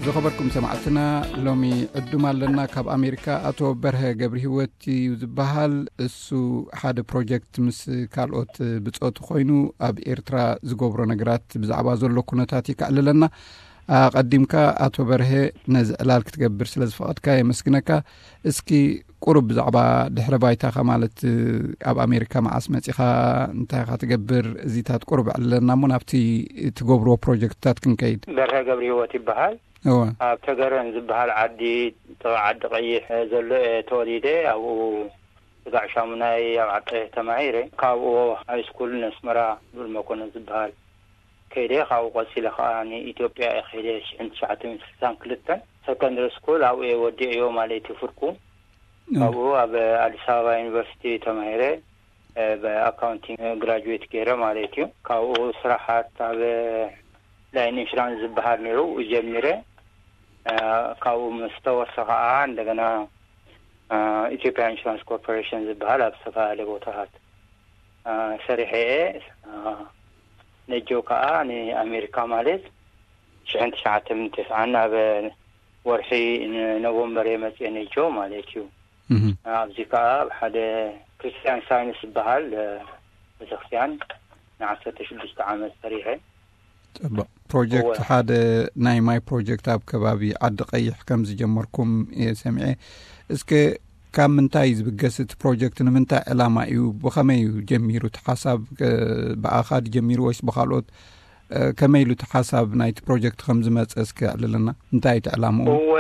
ዝኸበርኩም ሰማዕትና፣ ሎሚ ዕዱም ኣለና ካብ ኣሜሪካ። ኣቶ በርሀ ገብሪ ህይወት እዩ ዝበሃል። እሱ ሓደ ፕሮጀክት ምስ ካልኦት ብጾቱ ኮይኑ ኣብ ኤርትራ ዝገብሮ ነገራት፣ ብዛዕባ ዘሎ ኩነታት እዩ ከዕልለና። ኣቐዲምካ ኣቶ በርሀ፣ ነዚ ዕላል ክትገብር ስለ ዝፈቐድካ የመስግነካ። እስኪ ቁሩብ ብዛዕባ ድሕረ ባይታኻ፣ ማለት ኣብ ኣሜሪካ መዓስ መጺኻ፣ እንታይ ኢኻ ትገብር፣ እዚታት ቁሩብ ዕልለና እሞ ናብቲ ትገብርዎ ፕሮጀክትታት ክንከይድ። በርሀ ገብሪ ህይወት ይበሃል። እወ። ኣብ ተገረን ዝበሃል ዓዲ፣ ጥቓ ዓዲ ቀይሕ ዘሎ እየ ተወሊደ። ኣብኡ ስጋዕ ሻሙናይ ኣብ ዓዲ ቀይሕ ተማሂረ። ካብኡ ሃይ ስኩል ነስመራ ብሉል መኮንን ዝበሃል ከይደ። ካብኡ ቀጺለ ከኣ ንኢትዮጵያ እየ ከይደ። ሽሕን ትሽዓተ ሚእትን ስሳን ክልተን ሰከንደሪ ስኩል ኣብኡ እየ ወዲእዮ ማለት እዩ ፍርቁ። እወ። ካብኡ ኣብ ኣዲስ ኣበባ ዩኒቨርሲቲ ተማሂረ፣ እ፣ ብኣካውንቲንግ ግራጁዌት ገይረ ማለት እዩ። ካብኡ ስራሓት ኣብ ላይን ኢንሹራንስ ዝበሃል ነይሩ ጀሚረ። እ፣ ካብኡ ምስ ተወሰኸ ከዓ እንደገና፣ እ፣ ኢትዮጵያ ኢንሹራንስ ኮርፖሬሽን ዝበሃል ኣብ ዝተፈላለየ ቦታታት፣ እ፣ ሰሪሐ እየ። እ፣ ነጆ ከዓ ንኣሜሪካ ማለት ሽሕን ትሽዓተ ሚእትን ተስዓን ኣብ ወርሒ ኖቨምበር እየ መፅየ ነጆ ማለት እዩ። እህ። ኣብዚ ከኣ ኣብ ሓደ ክርስትያን ሳይንስ ዝበሃል፣ እ፣ ቤተክርስትያን ንዓሰርተ ሽዱሽተ ዓመት ሰሪሐ። ጽቡቕ። ፕሮጀክት እወ። ሓደ ናይ ማይ ፕሮጀክት ኣብ ከባቢ ዓዲ ቀይሕ ከም ዝጀመርኩም እየ ሰሚዐ። እስከ ካብ ምንታይ እዩ ዝብገስ እቲ ፕሮጀክት? ንምንታይ ዕላማ እዩ? ብኸመይ እዩ ጀሚሩ? እቲ ሓሳብ፣ እ፣ ብኣኻ ድጀሚሩ ወይስ ብኻልኦት? እ፣ ከመይ ኢሉ እቲ ሓሳብ ናይቲ ፕሮጀክት ከም ዝመጸ እስከ ኣዕልለና። እንታይ እቲ ዕላምኡ? እወ፣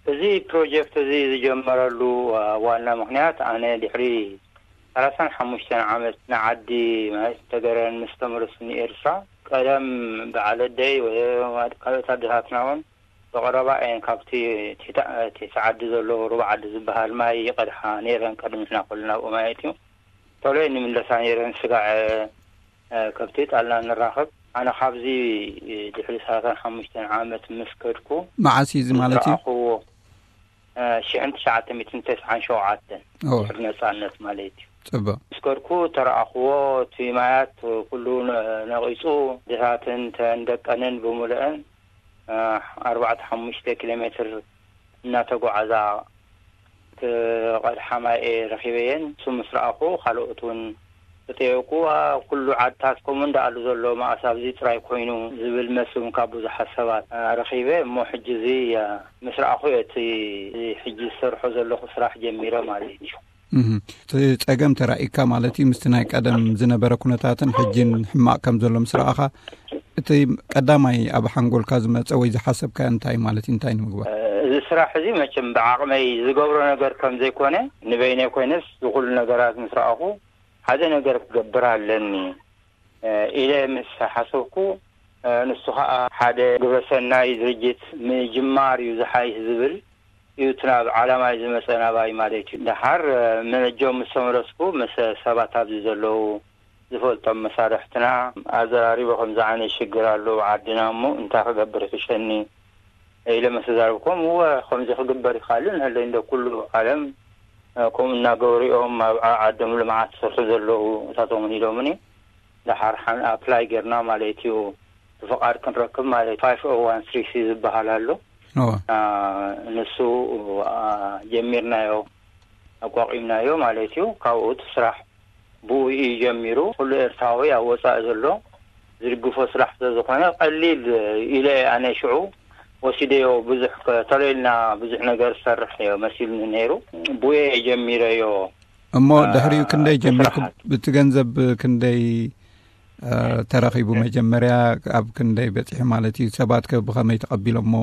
እዚ ፕሮጀክት እዚ ዝጀመረሉ፣ አ፣ ዋና ምኽንያት፣ ኣነ ድሕሪ ሰላሳን ሓሙሽተን ዓመት ንዓዲ ማለት ተገረን ምስ ተመለሱ ንኤርትራ፣ ቀደም በዓል ኣደይ ወይ ካልኦት ኣደታትና እውን ብቐረባ እየን ካብቲ እቲ ታ-፣ እቲ ዓዲ ዘሎ ሩባ ዓዲ ዝበሃል ማይ ይቐድሓ ነይረን፣ ቀደም ንሕና ከለና ኣብኡ ማለት እዩ። ቶሎ እየን ንምለሳ ነይረን፣ ስጋዕ፣ እ፣ ከብቲ ጣልና ንራኸብ። ኣነ ካብዚ ድሕሪ ሰላሳን ሓሙሽተን ዓመት ምስ ከድኩ፣ መዓስ እዩ እዚ ማለት እዩ? ዝረኣኽዎ፣ እ፣ ሽሕን ትሽዓተ ሚእትን ተስዓን ሸውዓተን፣ ኦ። ድሕሪ ነጻነት ማለት እዩ። ጽቡቕ። ምስ ከድኩ ተረኣኽዎ፣ እቲ ማያት ኩሉ ነ-፣ ነቒጹ፣ ድታትን ተን ደቀንን ብምልአን፣ እ፣ ኣርባዕተ ሓሙሽተ ኪሎ ሜትር እናተጓዓዛ ክቐድሓ ማይ እየ ረኺበየን። እሱ ምስ ረኣኹ፣ ካልኦት እውን ተጠየቁ። ዋ፣ ኩሉ ዓድታት ከምኡ እንዳኣሉ ዘሎ፣ መኣስ ኣብዚ ጥራይ ኮይኑ ዝብል መስም ካብ ብዙሓት ሰባት፣ እ፣ ረኺበ። እሞ ሕጂ እዚ፣ እ፣ ምስ ረኣኹ እየ እቲ ሕጂ ዝሰርሖ ዘለኹ ስራሕ ጀሚረ ማለት እዩ። እህ። እቲ ጸገም ተራእይካ ማለት እዩ፣ ምስቲ ናይ ቀደም ዝነበረ ኩነታትን ሕጂን ሕማቕ ከም ዘሎ ምስ ረኣኻ፣ እቲ ቀዳማይ ኣብ ሓንጎልካ ዝመጸ ወይ ዝሓሰብካዮ እንታይ ማለት እዩ? እንታይ ንምግባር? እዚ ስራሕ እዚ መቸም ብዓቕመይ ዝገብሮ ነገር ከም ዘይኮነ፣ ንበይነይ ኮይነስ ዝኹሉ ነገራት ምስ ረኣኹ፣ ሓደ ነገር ክገብር ኣለኒ፣ እ፣ ኢለ ምስ ሓሰብኩ፣ እ፣ ንሱ ኸኣ ሓደ ግብረሰናይ ድርጅት ምጅማር እዩ ዝሓይሽ ዝብል እዩ እቲ ናብ ዓላማይ ዝመጸ ናባይ ማለት እዩ። ደሓር፣ እ፣ መነጆም ምስ ተመለስኩ፣ ምስ ሰባት ኣብዚ ዘለዉ ዝፈልጦም መሳርሕትና ኣዘራሪቦ፣ ከምዚ ዓይነት ሽግር ኣሎ ኣብ ዓድና፣ እሞ እንታይ ክገብር ይሕሸኒ ኢለ ምስ ተዛረብኩም፣ እወ፣ ከምዚ ክግበር ይኽእል፣ ንህለይ እንዶ ኩሉ ዓለም፣ እ፣ ከምኡ እናገበሩ እዮም ኣብ ዓ-፣ ዓዶም ልምዓት ዝሰርሑ ዘለዉ፣ እታቶም እውን ኢሎምኒ። ደሓር ሓን ኣፕላይ ጌርና ማለት እዩ፣ ፍቓድ ክንረክብ ማለት እዩ። ፋይቭ ኦ ዋን ስሪ ሲ ዝበሃል ኣሎ። እወ። አ፣ ንሱ፣ አ፣ ጀሚርናዮ፣ ኣቋቒምናዮ ማለት እዩ። ካብኡ እቲ ስራሕ ብኡ እዩ ጀሚሩ። ኩሉ ኤርትራዊ ኣብ ወጻኢ ዘሎ ዝድግፎ ስራሕ ስለ ዝኾነ፣ ቀሊል ኢለ ኣነ ሽዑ ወሲደዮ። ብዙሕ ከ-፣ ተለይልና ብዙሕ ነገር ዝሰርሕ እዮ መሲሉኒ ነይሩ። ብኡ እየ ጀሚረዮ። እሞ አ፣ ድሕሪኡ ክንደይ እቲ ጀሚርኩም? ስራሓት። ብቲ ገንዘብ ክንደይ፣ አ፣ ተረኺቡ? መጀመርያ ኣብ ክንደይ በጺሑ ማለት እዩ? ሰባት ከ ብኸመይ ተቐቢሎሞ?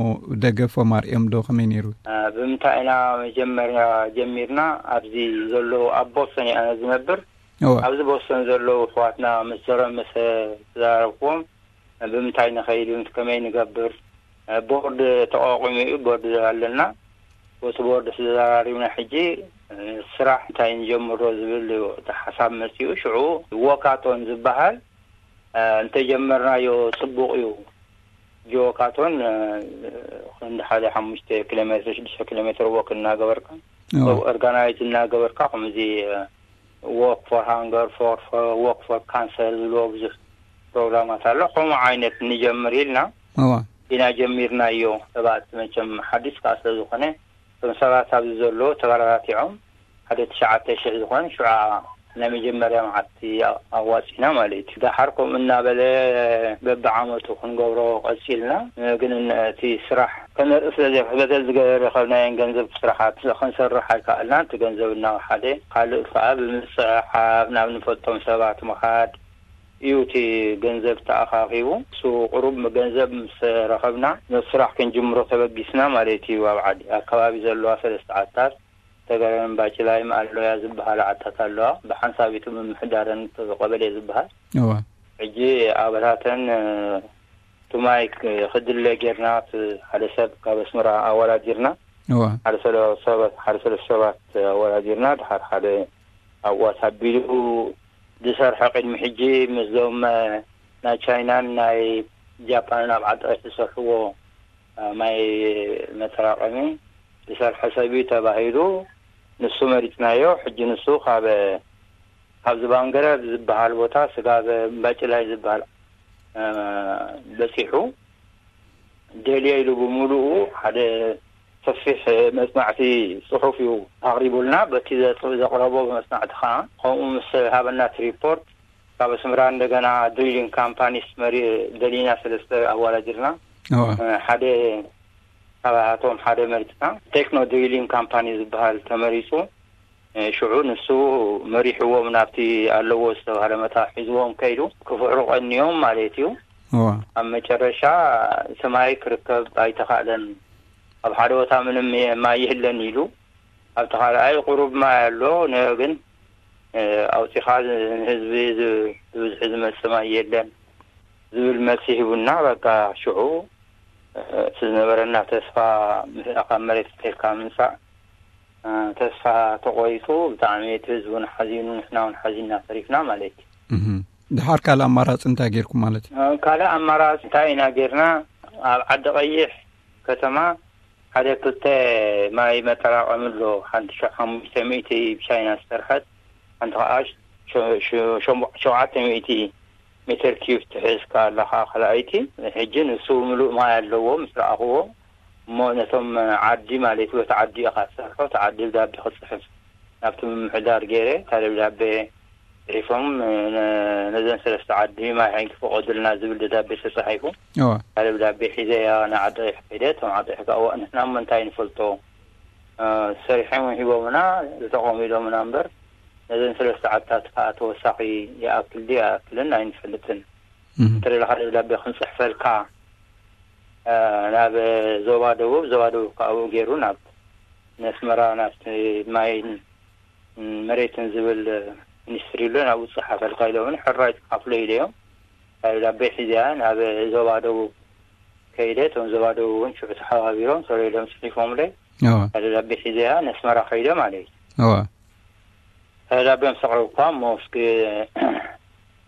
ደገፎም ኣርእዮም ዶ? ከመይ ነይሩ? አ፣ ብምንታይ ኢና መጀመርያ ጀሚርና? ኣብዚ ዘለዉ ኣብ ቦስተን እየ ኣነ ዝነብር። እወ። ኣብዚ ቦስተን ዘለዉ ኣሕዋትና ምስ ዘረ-፣ ምስ ተዛረብኩዎም፣ ብምንታይ ንኸይድ፣ ምስ ከመይ ንገብር፣ ቦርድ ተቋቒሙ እዩ፣ ቦርድ ኣለና። በቲ ቦርድ ተዘራሪብና፣ ሕጂ ስራሕ እንታይ ንጀምሮ ዝብል እዩ እቲ ሓሳብ መጺኡ። ሽዑ ዎካቶን ዝበሃል፣ እንተጀመርናዮ ጽቡቕ እዩ። ጆካቶን፣ እ፣ ክንዲ ሓደ ሓሙሽተ ኪሎ ሜትር፣ ሽዱሽተ ኪሎ ሜትር ወክ እናገበርካ፣ እዎ። ኦርጋናይዝ እናገበርካ፣ ከምዚ፣ እ፣ ዎክ ፎር ሃንገር፣ ፎር፣ ፎር፣ ዎክ ፎር ካንሰር ዝብልዎ ብዙሕ ፕሮግራማት ኣሎ። ከምኡ ዓይነት ንጀምር ኢልና፣ እዎ። ኢና ጀሚርናዮ። ሰባት መቸም ሓዲስ ከኣ ስለ ዝኾነ፣ እቶም ሰባት ኣብዚ ዘሎ ተበራታቲዖም ሓደ ትሽዓተ ሽሕ ዝኾን ሽዑ ናይ መጀመርያ መዓልቲ ኣዋፂና ማለት እዩ። ደሓር ከምኡ እናበለ በብዓመቱ ክንገብሮ ቀፂልና። ግን እቲ ስራሕ ከነርኢ ስለ ዘይክእል፣ በተን ዝረኸብናየን ገንዘብ ስራሓት ክንሰርሕ ኣይከኣልናን። እቲ ገንዘብ እናወሓደ፣ ካልእ ከዓ ብምፅሕሓፍ ናብ ንፈልጦም ሰባት ምኻድ እዩ እቲ ገንዘብ ተኣኻኺቡ። እሱ ቁሩብ ገንዘብ ምስ ረኸብና፣ ነቲ ስራሕ ክንጅምሮ ተበጊስና ማለት እዩ። ኣብ ዓዲ፣ ኣብ ከባቢ ዘለዋ ሰለስተ ዓድታት፣ ተገረን ባጭላይን ኣሎያ ዝበሃላ ዓድታት ኣለዋ። ብሓንሳብ እቲ ምምሕዳረን ቀበሌ ዝበሃል። እዋ። ሕጂ ኣባታተን፣ እ፣ እቲ ማይ ክ-፣ ክድለ ጌርና፣ እቲ ሓደ ሰብ ካብ ኣስመራ ኣወዳዲርና፣ እዋ። ሓደ ሰለ-፣ ሰብ-፣ ሓደ ሰለስተ ሰባት ኣወዳዲርና፣ ድሓር ሓደ ኣብኡ ኣሳቢሉ ዝሰርሐ ቅድሚ ሕጂ ምስዞም፣ እ፣ ናይ ቻይናን ናይ ጃፓንን ኣብ ዓዲ ዝሰርሕዎ፣ እ፣ ማይ መጠራቐሚ ዝሰርሐ ሰብ እዩ ተባሂሉ፣ ንሱ መሪጽናዮ። ሕጂ ንሱ ካብ፣ ካብ ዝባንገረ ዝበሃል ቦታ፣ ስጋብ እምባጭላይ ዝበሃል፣ እ፣ በጺሑ፣ ደልየ ኢሉ ብምሉኡ ሓደ ሰፊሕ መጽናዕቲ ጽሑፍ እዩ ኣቕሪቡልና። በቲ ዘጽ-፣ ዘቕረቦ መጽናዕቲ ከኣ፣ ከምኡ ምስ ሃበና እቲ ሪፖርት፣ ካብ ኣስመራ እንደገና ድሪሊንግ ካምፓኒስ መሪ-፣ ደሊና ሰለስተ ኣዋዳዲርና። እዋ። እ፣ ሓደ ካብኣቶም ሓደ መሪጽና። ቴክኖ ድሪሊንግ ካምፓኒ ዝበሃል ተመሪጹ። እ፣ ሽዑ ንሱ መሪሕዎም ናብቲ ኣለዎ ዝተባህለ መታ ሒዝዎም ከይዱ፣ ክፍሕሩ ቀንዮም ማለት እዩ። እዋ። ኣብ መጨረሻ እቲ ማይ ክርከብ ኣይተኻእለን። ኣብ ሓደ ቦታ ምንም የ-፣ ማይ የለን ኢሉ። ኣብቲ ካልኣይ ቁሩብ ማይ ኣሎ፣ ነ-፣ ግን፣ እ፣ ኣውጺኻ ንህዝቢ ዝ-፣ ብብዝሒ ዝመጽእ ማይ የለን ዝብል መልሲ ሂቡና። በቃ ሽዑ፣ እ፣ እቲ ዝነበረና ተስፋ ምስ-፣ ካብ መሬት ተልካ ምምጻእ፣ እ፣ ተስፋ ተቆሪጹ። ብጣዕሚ እቲ ህዝቢ እውን ሓዚኑ፣ ንሕና እውን ሓዚንና ተሪፍና ማለት እዩ። እህ። ድሓር ካልእ ኣማራጺ እንታይ ጌርኩም ማለት እዩ? እ፣ ካልእ ኣማራጺ እንታይ ኢና ጌርና? ኣብ ዓዲ ቀይሕ ከተማ ሓደ ክልተ ማይ መጠራቐሚ ኣሎ። ሓንቲ ሸ-፣ ሓሙሽተ ሚእቲ ብቻይና ዝተሰርሐት፣ ሓንቲ ኸዓ ሸ-፣ ሸ-፣ ሸ-፣ ሸውዓተ ሚእቲ ሜትር ኪዩብ ትሕዝ ከኣ ኣላ ኸዓ ካልኣይቲ። ሕጂ ንሱ ምሉእ ማይ ኣለዎ ምስ ረኣኽዎ። እሞ ነቶም ዓዲ ማለት እዩ፣ በቲ ዓዲ ኢኻ ትሰርሖ፣ እቲ ዓዲ ደብዳቤ ክጽሕፍ ናብቲ ምምሕዳር ገይረ፣ እታ ደብዳቤ ጽሒፎም፣ ነ-፣ ነዘን ሰለስተ ዓዲ ማይ ሓይንኪ ፍቐዱልና ዝብል ደብዳቤ ተጻሒፉ። እዋ። እታ ደብዳቤ ሒዘያ ንዓዲ ቀይሕ ከይደ፣ እቶም ዓዲ ቀይሕ ከኣ፣ "እዋ፣ ንሕና እሞ እንታይ ንፈልጦ? እ፣ ሰሪሖም ሂቦምና፣ ተጠቐሙ ኢሎምና እምበር፣ ነዘን ሰለስተ ዓድታት ከኣ ተወሳኺ ይኣክል ድዩ ኣይኣክልን ኣይንፈልጥን። እህ። እንተ ደለኻ ደብዳቤ ክንጽሕፈልካ፣ እ፣ ናብ ዞባ ደቡብ፣ ዞባ ደቡብ ከኣ ኣብኡ ገይሩ ናብ ነስመራ፣ ናብቲ ማይን መሬትን ዝብል ሚኒስትሪ ኣሎ፣ ናብኡ ጸሓፈልካ" ኢሎምኒ። ሕራይ ጸሓፍለይ ኢለዮም። እታ ደብዳቤ ሒዘያ ናብ ዞባ ደቡብ ከይደ። እቶም ዞባ ደቡብ እውን ሽዑ ተሓባቢሮም፣ ሰሪሎም ጽሒፎምለይ። እዋ። እታ ደብዳቤ ሒዘያ ነስመራ ከይደ ማለት እዩ። እዋ። እታ ደብዳቤ ምስ ኣቕረብኳ፣ እሞ እስኪ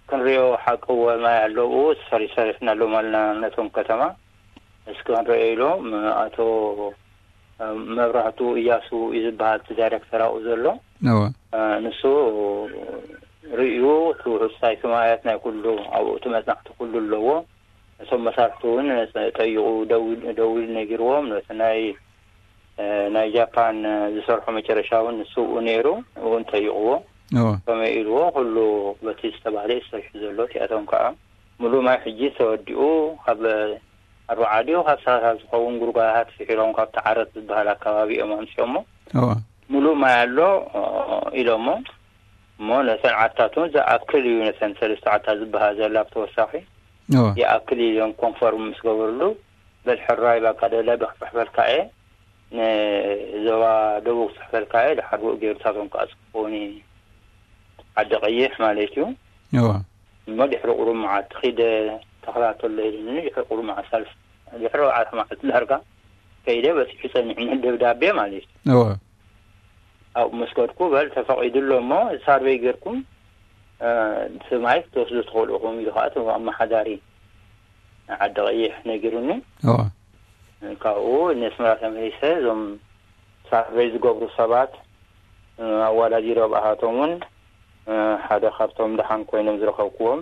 ክንሪኦ፣ ሓቂ እወ ማይ ኣለዉ፣ ሰሪ-፣ ሰሪሕናሎም ኣለና ነቶም ከተማ። እስኪ ክንሪኦ ኢሎም፣ ኣቶ መብራህቱ እያሱ እዩ ዝበሃል፣ እቲ ዳይሬክተር ኣብኡ ዘሎ። እወ። እ፣ ንሱ ርእዩ፣ እቲ ውሑድ ሳይት ማያት ናይ ኩሉ፣ ኣብኡ እቲ መጽናዕቲ ኩሉ ኣለዎ። እቶም መሳርሕቲ እውን ጠይቑ፣ ደዊል-፣ ደዊሉ ነጊርዎም። ነቲ ናይ፣ እ፣ ናይ ጃፓን፣ እ፣ ዝሰርሖ መጨረሻ እውን ንሱ እውን ነይሩ፣ እውን ጠይቕዎ። እወ። ከመይ ኢልዎ፣ ኩሉ በቲ ዝተባህለ እዩ ተሰሪሑ ዘሎ። እቲኣቶም ከዓ ምሉእ ማይ ሕጂ ተወዲኡ፣ ካብ ኣርባዓ ድዩ ካብ ሰላሳ ዝኸውን ጉድጓዳት ስሒሮም፣ ካብቲ ዓረት ዝበሃል ኣከባቢ እዮም ኣምፅኦሞ። እወ። ምሉእ ማይ ኣሎ፣ እ፣ ኢሎሞ። እሞ ነተን ዓድታት እውን ዝኣክል እዩ፣ ነተን ሰለስተ ዓድታት ዝበሃል ዘላ ብተወሳኺ እወ። ይኣክል እዩ ኢሎም ኮንፈርም ምስ ገበርሉ፣ በል ሕራይ፣ ባካ ደብዳቤ ክፅሕፈልካ እየ፣ ንዞባ ደቡብ ክፅሕፈልካ እየ፣ ድሓር ብኡ ገይሩ ንሳቶም ክኣፅፍዎኒ፣ ዓዲ ቀይሕ ማለት እዩ። እወ። እሞ ድሕሪ ቁሩብ መዓልቲ ኺደ ተኸታተሎ ኢሉኒ። ድሕሪ ቁሩብ መዓልቲ፣ ሳልስ-፣ ድሕሪ ኣርባዕተ መዓልቲ ዳርጋ ከይደ፣ በፂሑ ጸኒሕኒ ደብዳቤ ማለት እዩ። እወ። ኣብኡ ምስ ከድኩ፣ በል ተፈቒዱ ኣሎ እሞ ሳርቬይ ጌርኩም፣ እ፣ እቲ ማይ ክትወስዱ ትኽእሉ ኢኹም ኢሉ ኸዓ እቲ ኣመሓዳሪ ዓዲ ቀይሕ ነጊሩኒ። እወ። ካብኡ ነስመራ ተመሊሰ፣ እዞም ሳርቬይ ዝገብሩ ሰባት፣ እ፣ ኣወዳዲረ ብኣሃቶም እውን፣ እ፣ ሓደ ካብቶም ደሓን ኮይኖም ዝረኸብኩዎም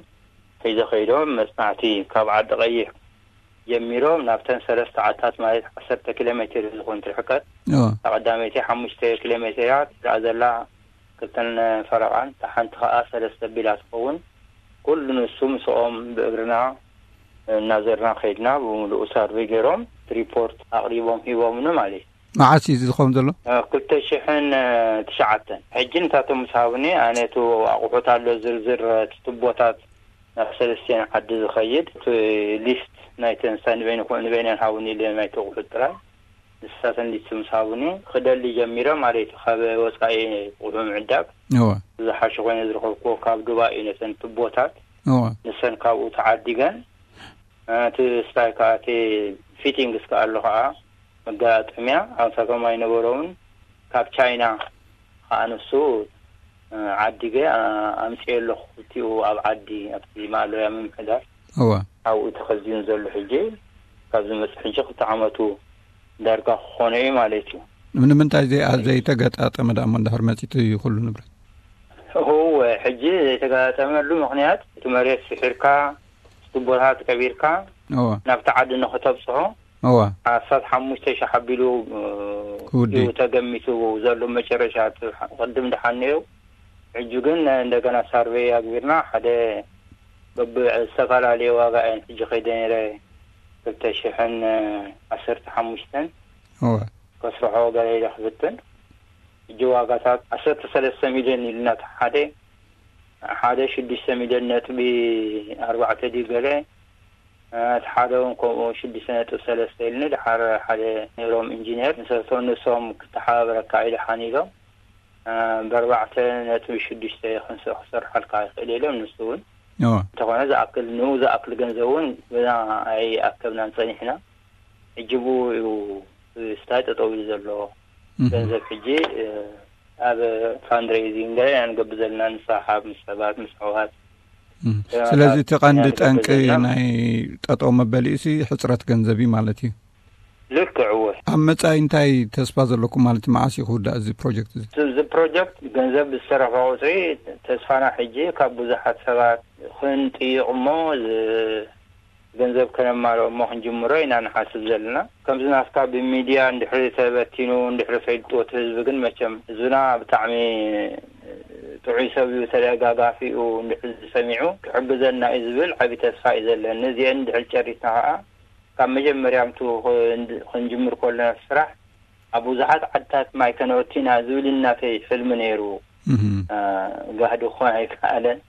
ሒዘ ከይዶም፣ መጽናዕቲ ካብ ዓዲ ቀይሕ ጀሚሮም ናብተን ሰለስተ ዓድታት፣ ማለት ዓሰርተ ኪሎ ሜትር ዝኾን ርሕቀት፣ እታ ቀዳመይቲ ሓሙሽተ ኪሎ ሜትር እያ ትረኣ ዘላ፣ ክልተን ፈረቓን፣ እታ ሓንቲ ከኣ ሰለስተ ቢላ ትኸውን። ኩሉ ንሱ ምስኦም ብእግርና እናዘርና ከይድና፣ ብምሉኡ ሳርቬይ ገይሮም ሪፖርት ኣቕሪቦም ሂቦምኒ ማለት እዩ። መዓስ እዩ እዚ ዝኸውን ዘሎ? ክልተ ሽሕን ትሽዓተን። ሕጂ ንታቶም ምስ ሃቡኒ፣ ኣነ እቲ ኣቑሑት ኣሎ ዝርዝር፣ እቲ ቱቦታት ናብ ሰለስቲኤን ዓዲ ዝኸይድ፣ እቲ ሊስት ናይተን ንሳ ንበይኑ-፣ ንበይነን ሃቡኒ ኢለ ናይቲ ኣቑሑት ጥራይ። ንሳተን ሊስት ምስ ሃቡኒ፣ ክደሊ ጀሚረ ማለት እዩ። ካብ ወጻኢ ኣቑሑ ምዕዳግ እወ። ዝሓሸ ኮይነ ዝረኸብኩዎ ካብ ዱባይ እዩ፣ ነተን ቱቦታት። እወ። ንሰን ካብኡ ተዓዲገን፣ እቲ ስታይ ከኣ፣ እቲ ፊቲንግስ ከኣ ኣሎ ከኣ፣ መገጣጠምያ ኣምሳቶም ኣይነበሮምን። ካብ ቻይና ከኣ ንሱ ዓዲገ ኣምጽኤ ኣለኹ። ክልቲኡ ኣብ ዓዲ፣ ኣብቲ ማእለያ ምምሕዳር እወ። ኣብኡ ተኸዚኑ ዘሎ ሕጂ፣ ካብ ዝመጽእ ሕጂ ክልተ ዓመቱ ዳርጋ ክኾኖ እዩ ማለት እዩ። ንምንታይ ዘይ-፣ ዘይተገጣጠመ ደኣ እሞ እንድሕር መጺቱ እዩ ኩሉ ንብረት? እወ፣ ሕጂ ዘይተገጣጠመሉ ምኽንያት፣ እቲ መሬት ስሒርካ፣ ቱቦታት ቀቢርካ፣ እወ። ናብቲ ዓዲ ንኽተብጽሖ፣ እወ። ኣስታት ሓሙሽተ ሺሕ ኣቢሉ፣ እ፣ ክውዲ። እዩ ተገሚቱ ዘሎ መጨረሻ፣ እቲ ቅድም ደሓን ነይሩ። ሕጂ ግን እንደገና ሳርቬይ ኣግቢርና፣ ሓደ በብ-፣ ዝተፈላለየ ዋጋ እየን ሕጂ ከይደ ነይረ፣ ክልተ ሽሕን ዓሰርተ ሓሙሽተን። እወ። ከስርሖ ገለ ኢለ ክፍትን። ሕጂ ዋጋታት ዓሰርተ ሰለስተ ሚልዮን ኢልና፣ እቲ ሓደ፣ ሓደ ሽዱሽተ ሚልዮን ነጥቢ ኣርባዕተ ድዩ ገለ፣ እቲ ሓደ እውን ከምኡ ሽዱሽተ ነጥቢ ሰለስተ ኢልኒ። ድሓር ሓደ ነይሮም ኢንጂነር፣ ንሰቶም ንሶም ክተሓባበረካ ኢሉ ሓኒሎም፣ ብኣርባዕተ ነጥቢ ሽዱሽተ ክንስ-፣ ክሰርሓልካ ይኽእል ኢሎም። ንሱ እውን እወ። እንተኾነ ዝኣክል፣ ንኡ ዝኣክል ገንዘብ እውን ገና ኣይኣከብናን ጸኒሕና። ሕጂ ብኡ እዩ ስታይ ጠጠው ኢሉ ዘሎ። እህ። ገንዘብ ሕጂ፣ እ፣ ኣብ ፋንድሬይዚንግ ገለ ኢና ንገብር ዘለና፣ ንሰሓብ ምስ ሰባት፣ ምስ ኣሕዋት። እህ። እ፣ ስለዚ እቲ ቀንዲ ኢና ንገብር ጠንቂ ዘለና። ናይ ጠጠው መበሊኡሲ ሕጽረት ገንዘብ እዩ ማለት እዩ። ልክዕ፣ እወ። ኣብ መጻኢ እንታይ ተስፋ ዘለኩም ማለት፣ መዓስ እዩ ክውዳእ እዚ ፕሮጀክት እዚ? እዚ፣ እዚ ፕሮጀክት ገንዘብ ብዝተረፈ ቁጽሪ ተስፋና ሕጂ ካብ ብዙሓት ሰባት ክንጥይቕ እሞ ዝ-፣ ገንዘብ ከነማልኦ እሞ ክንጅምሮ ኢና ንሓስብ ዘለና። ከምዚ ናትካ ብሚድያ እንድሕሪ ተበቲኑ፣ እንድሕሪ ፈልጥዎ እቲ ህዝቢ ግን፣ መቸም ህዝብና ብጣዕሚ ጥዑይ ሰብ እዩ፣ ተደጋጋፊ እዩ፣ እንድሕሪ ሰሚዑ ክሕግዘና እዩ ዝብል ዓቢ ተስፋ እዩ ዘለኒ። እዚአን እንድሕሪ ጨሪስና ከኣ፣ ካብ መጀመርያ ምቱ ክን-፣ ክንጅምር ከለና ስራሕ ኣብ ብዙሓት ዓድታት ማይ ከነእቱ ኢና ዝብል ናተይ ሕልሚ ነይሩ። እህ። አ፣ ጋህዲ ክኾን ኣይከኣለን።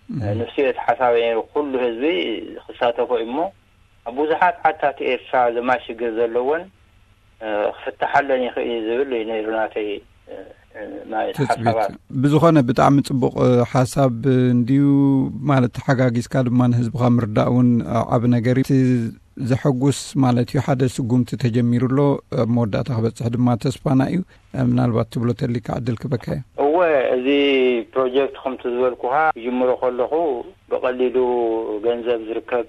እህ። ንሱ እዩ እቲ ሓሳብ ነይሩ፣ ኩሉ ህዝቢ ክሳተፎ እዩ እሞ፣ ኣብ ብዙሓት ዓድታት ኤርትራ ዘማይ ሽግር ዘለወን፣ እ፣ ክፍትሓለን ይኽእል እዩ ዝብል እዩ ነይሩ ናተይ፣ እ፣ እ፣ ናይ ትጽቢት። ሓሳባት። ብዝኾነ ብጣዕሚ ጽቡቕ፣ እ፣ ሓሳብ እንድዩ፣ ማለት ተሓጋጊዝካ ድማ ንህዝብኻ ምርዳእ እውን ዓቢ ነገር እዩ። እቲ ዘሐጉስ ማለት እዩ፣ ሓደ ስጉምቲ ተጀሚሩ ኣሎ፣ ኣብ መወዳእታ ክበጽሕ ድማ ተስፋና እዩ። ምናልባት ትብሎ ተሊካ ዕድል ክበካ እዩ። እወ፣ እዚ ፕሮጀክት ከምቲ ዝበልኩኻ ክጅምሮ ከለኹ ብቐሊሉ ገንዘብ ዝርከብ፣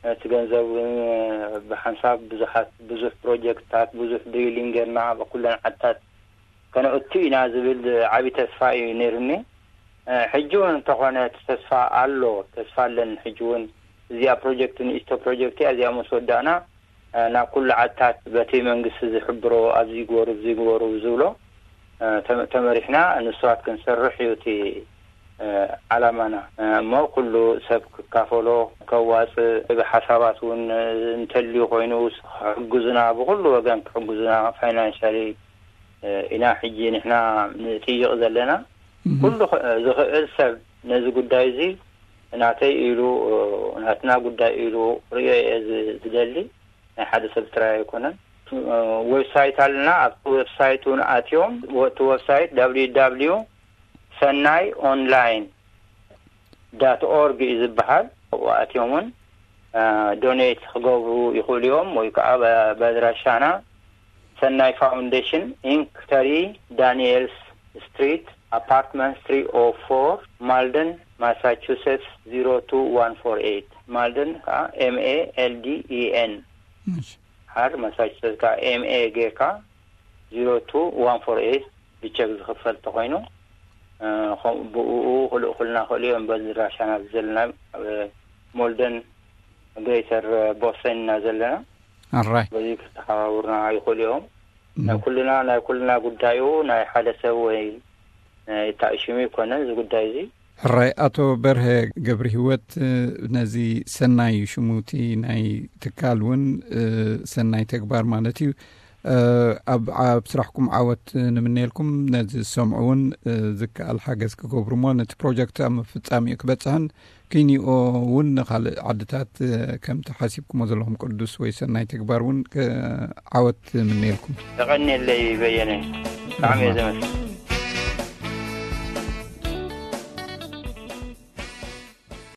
እቲ ገንዘብ እውን ብሓንሳብ ብዙሓት፣ ብዙሕ ፕሮጀክትታት፣ ብዙሕ ድሪሊንግ ጌርና ኣብ ኩለን ዓድታት ከነእቱ ኢና ዝብል ዓቢ ተስፋ እዩ ነይሩኒ። ሕጂ እውን እንተኾነ እቲ ተስፋ ኣሎ፣ ተስፋ ኣለኒ። ሕጂ እውን እዚኣ ፕሮጀክት፣ ንእሽቶ ፕሮጀክት እያ፣ እዚኣ ምስ ወዳእና ናብ ኩሉ ዓድታት በቲ መንግስቲ ዝሕብሮ ኣብዚ ግበሩ፣ እዚ ግበሩ ዝብሎ፣ ተ-፣ ተመሪሕና ንስራት ክንሰርሕ እዩ እቲ፣ እ፣ ዓላማና። እ፣ እሞ ኩሉ ሰብ ክካፈሎ፣ ከዋጽእ፣ ብሓሳባት እውን እንተልዩ ኮይኑ ክሕግዙና፣ ብኩሉ ወገን ክሕግዙና፣ ፋይናንሻሊ፣ እ፣ ኢና ሕጂ ንሕና ንጥይቕ ዘለና። እህ። ኩሉ ኽ-፣ ዝኽእል ሰብ ነዚ ጉዳይ እዚ ናተይ ኢሉ፣ እ፣ ናትና ጉዳይ ኢሉ ክርእዮ እየ ዝ-፣ ዝደሊ። ናይ ሓደ ሰብ ጥራይ ኣይኮነን። እ፣ ዌብሳይት ኣለና። ኣብቲ ዌብሳይት እውን ኣትዮም፣ እቲ ዌብሳይት ደብሊው ደብሊው ሰናይ ኦንላይን ዳት ኦርግ እዩ ዝበሃል። ኣብኡ ኣትዮም እውን፣ እ፣ ዶኔት ክገብሩ ይኽእሉ እዮም፣ ወይ ከዓ ብ-፣ በድራሻና ሰናይ ፋውንዴሽን ኢንክ፣ ተሪ ዳንኤልስ ስትሪት፣ ኣፓርትመንት ትሪ ኦ ፎር፣ ማልደን፣ ማሳቹሴትስ ዜሮ ቱ ዋን ፎር ኤይት። ማልደን ከዓ ኤም ኤ ኤል ዲ ኢ ኤን። እሺ። ሓር ማሳቹሴትስ ከዓ ኤም ኤ ጌርካ ዜሮ ቱ ዋን ፎር ኤይት ብቸክ ዝኽፈል ተኾይኑ፣ እ፣ ኸም-፣ ብእኡ ክልእኹልና ክእሉ እዮም። በዚ ኣድራሻና ዘለና ኣብ ሞልደን ግሬተር ቦስተን ኢና ዘለና። ኣራይ። በዚ ክተሓባብሩና ይኽእሉ እዮም። ናይ ኩልና ናይ ኩልና ጉዳዩ ናይ ሓደ ሰብ ወይ ናይ ታእሽሙ ይኮነ እዚ ጉዳይ እዚ። ሕራይ። ኣቶ በርሀ ገብሪ ህይወት፣ ነዚ ሰናይ ሽሙቲ ናይ ትካል እውን ሰናይ ተግባር ማለት እዩ፣ ኣብ ኣብ ስራሕኩም ዓወት ንምነየልኩም። ነዚ ዝሰምዑ እውን ዝከኣል ሓገዝ ክገብሩ እሞ ነቲ ፕሮጀክት ኣብ ምፍጻም እዩ ክበጽሕን ኪኒኦ እውን ንኻልእ ዓድታት ከምቲ ሓሲብኩሞ ዘለኹም ቅዱስ ወይ ሰናይ ተግባር እውን ዓወት ምነየልኩም። ተቐንየለይ በየነ። ብጣዕሚ እየ ዘመስግን።